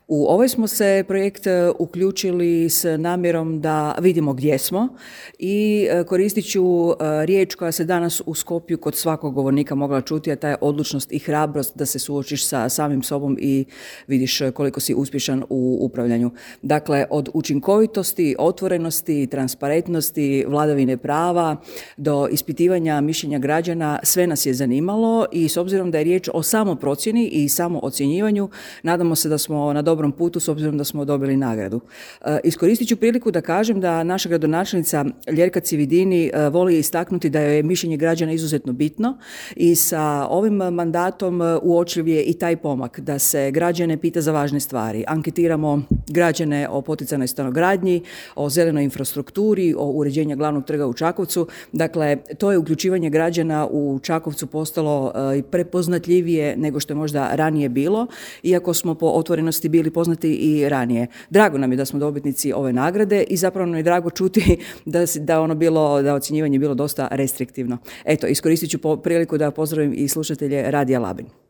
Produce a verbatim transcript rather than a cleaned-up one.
U ovaj smo se projekt uključili s namjerom da vidimo gdje smo i koristit ću riječ koja se danas u Skopju kod svakog govornika mogla čuti, a ta je odlučnost i hrabrost da se suočiš sa samim sobom i vidiš koliko si uspješan u upravljanju. Dakle, od učinkovitosti, otvorenosti, transparentnosti, vladavine prava do ispitivanja mišljenja građana, sve nas je zanimalo i s obzirom da je riječ o samoprocjeni i samoocjenjivanju, nadamo se da smo na dobrom putu s obzirom da smo dobili nagradu. E, iskoristit ću priliku da kažem da naša gradonačelnica Ljerka Cividini e, voli istaknuti da je mišljenje građana izuzetno bitno i sa ovim mandatom uočljiv je i taj pomak da se građane pita za važne stvari. Anketiramo građane o poticajnoj stanogradnji, o zelenoj infrastrukturi, o uređenju glavnog trga u Čakovcu. Dakle, to je uključivanje građana u Čakovcu postalo e, prepoznatljivije nego što je možda ranije bilo, iako smo po otvorenosti bili poznati i ranije. Drago nam je da smo dobitnici ove nagrade i zapravo nam je drago čuti da, da ono bilo, da ocjenjivanje bilo dosta restriktivno. Eto, iskoristit ću po priliku da pozdravim i slušatelje Radija Labin.